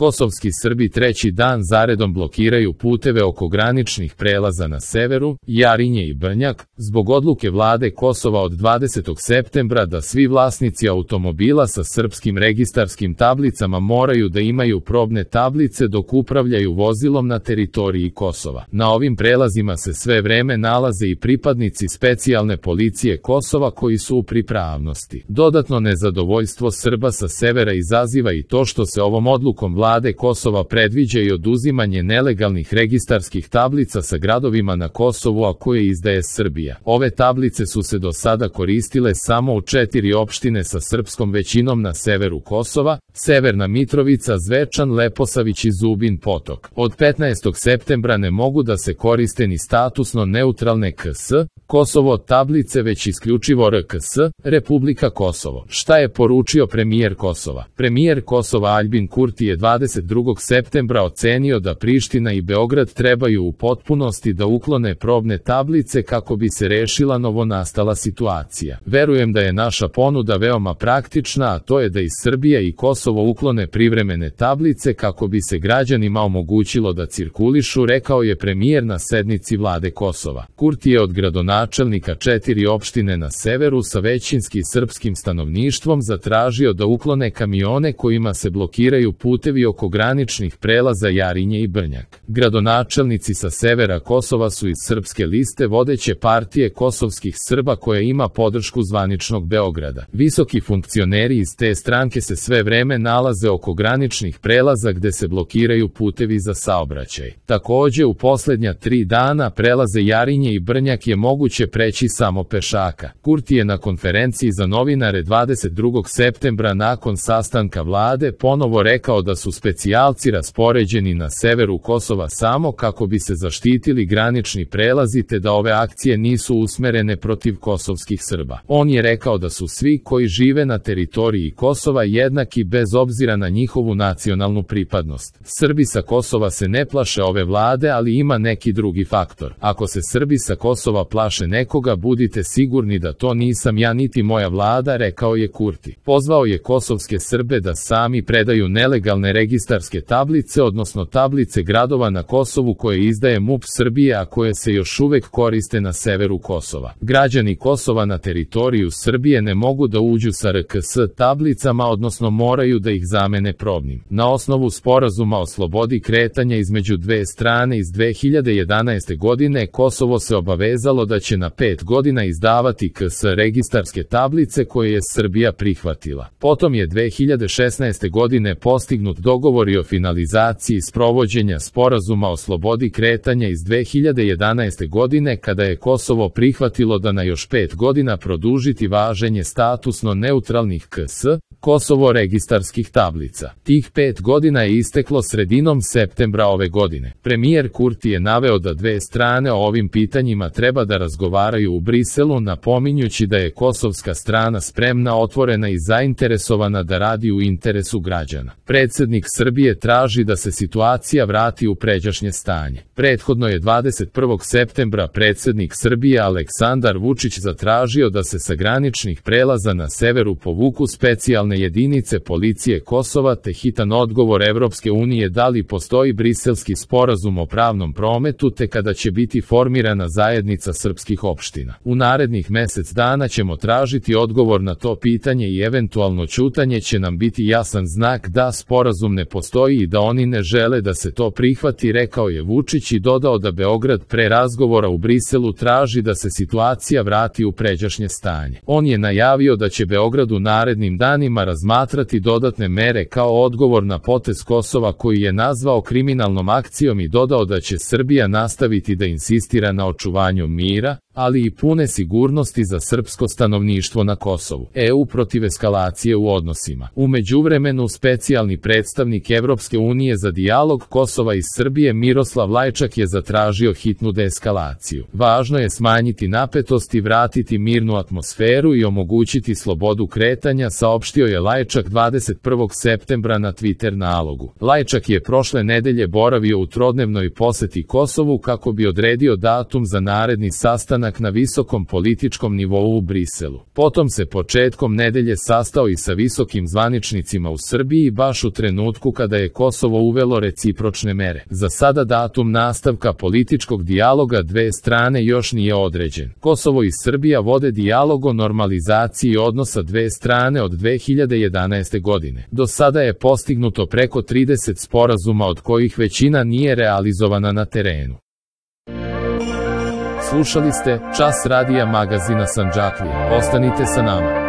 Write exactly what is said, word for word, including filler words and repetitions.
Kosovski Srbi treći dan zaredom blokiraju puteve oko graničnih prelaza na severu, Jarinje i Brnjak, zbog odluke vlade Kosova od dvadesetog septembra da svi vlasnici automobila sa srpskim registarskim tablicama moraju da imaju probne tablice dok upravljaju vozilom na teritoriji Kosova. Na ovim prelazima se sve vreme nalaze i pripadnici specijalne policije Kosova koji su u pripravnosti. Dodatno nezadovoljstvo Srba sa severa izaziva i to što se ovom odlukom vlade Kosova predviđa i oduzimanje nelegalnih registarskih tablica sa gradovima na Kosovu, a koje izdaje Srbija. Ove tablice su se do sada koristile samo u četiri opštine sa srpskom većinom na severu Kosova: Severna Mitrovica, Zvečan, Leposavić i Zubin Potok. Od petnaestog septembra ne mogu da se koriste ni statusno neutralne K S, Kosovo tablice, već isključivo R K S, Republika Kosovo. Šta je poručio premijer Kosova? Premijer Kosova Aljbin Kurti je dvadeset drugog septembra ocenio da Priština i Beograd trebaju u potpunosti da uklone probne tablice kako bi se rešila novonastala situacija. Verujem da je naša ponuda veoma praktična, a to je da iz Srbija i Kosovo uklone privremene tablice kako bi se građanima omogućilo da cirkulišu, rekao je premijer na sednici vlade Kosova. Kurti je od gradonačelnika četiri opštine na severu sa većinski srpskim stanovništvom zatražio da uklone kamione kojima se blokiraju putevi oko graničnih prelaza Jarinje i Brnjak. Gradonačelnici sa severa Kosova su iz Srpske liste, vodeće partije kosovskih Srba koja ima podršku zvaničnog Beograda. Visoki funkcioneri iz te stranke se sve vreme nalaze oko graničnih prelaza gde se blokiraju putevi za saobraćaj. Takođe, u poslednja tri dana prelaze Jarinje i Brnjak je moguće preći samo pešaka. Kurti je na konferenciji za novinare dvadeset drugog septembra nakon sastanka vlade ponovo rekao da su specijalci raspoređeni na severu Kosova samo kako bi se zaštitili granični prelazi te da ove akcije nisu usmerene protiv kosovskih Srba. On je rekao da su svi koji žive na teritoriji Kosova jednaki bez obzira na njihovu nacionalnu pripadnost. Srbi sa Kosova se ne plaše ove vlade, ali ima neki drugi faktor. Ako se Srbi sa Kosova plaše nekoga, budite sigurni da to nisam ja niti moja vlada, rekao je Kurti. Pozvao je kosovske Srbe da sami predaju nelegalne registarske tablice, odnosno tablice gradova na Kosovu koje izdaje M U P Srbije, a koje se još uvek koriste na severu Kosova. Građani Kosova na teritoriju Srbije ne mogu da uđu sa R K S tablicama, odnosno moraju da ih zamene probnim. Na osnovu sporazuma o slobodi kretanja između dve strane iz dve hiljade jedanaeste godine, Kosovo se obavezalo da će na pet godina izdavati K S registarske tablice koje je Srbija prihvatila. Potom je dve hiljade šesnaeste godine postignut dogovor i o finalizaciji sprovođenja sporazuma o slobodi kretanja iz dve hiljade jedanaeste godine, kada je Kosovo prihvatilo da na još pet godina produžiti važenje statusno neutralnih K S, Kosovo registarskih tablica. Tih pet godina je isteklo sredinom septembra ove godine. Premijer Kurti je naveo da dve strane o ovim pitanjima treba da razgovaraju u Briselu, napominjući da je kosovska strana spremna, otvorena i zainteresovana da radi u interesu građana. Predsednik Srbije traži da se situacija vrati u pređašnje stanje. Prethodno je dvadeset prvog septembra predsednik Srbije Aleksandar Vučić zatražio da se sa graničnih prelaza na severu povuku specijalne jedinice policije Kosova, te hitan odgovor Evropske unije da li postoji briselski sporazum o pravnom prometu te kada će biti formirana zajednica srpskih opština. U narednih mesec dana ćemo tražiti odgovor na to pitanje i eventualno ćutanje će nam biti jasan znak da sporazum ne postoji i da oni ne žele da se to prihvati, rekao je Vučić i dodao da Beograd pre razgovora u Briselu traži da se situacija vrati u pređašnje stanje. On je najavio da će Beograd u narednim danima razmatrati dodatne mere kao odgovor na potez Kosova koji je nazvao kriminalnom akcijom i dodao da će Srbija nastaviti da insistira na očuvanju mira, ali i pune sigurnosti za srpsko stanovništvo na Kosovu. E U protiv eskalacije u odnosima. U međuvremenu specijalni predstavnik Evropske unije za dijalog Kosova i Srbije Miroslav Lajčak je zatražio hitnu deeskalaciju. Važno je smanjiti napetost i vratiti mirnu atmosferu i omogućiti slobodu kretanja, saopštio je Lajčak dvadeset prvog septembra na Twitter nalogu. Lajčak je prošle nedelje boravio u trodnevnoj poseti Kosovu kako bi odredio datum za naredni sastanak sastanak na visokom političkom nivou u Briselu. Potom se početkom nedelje sastao i sa visokim zvaničnicima u Srbiji baš u trenutku kada je Kosovo uvelo recipročne mere. Za sada datum nastavka političkog dijaloga dve strane još nije određen. Kosovo i Srbija vode dijalog o normalizaciji odnosa dve strane od dve hiljade jedanaeste godine. Do sada je postignuto preko trideset sporazuma od kojih većina nije realizovana na terenu. Slušali ste Čas radija magazina Sandžaklije. Ostanite sa nama.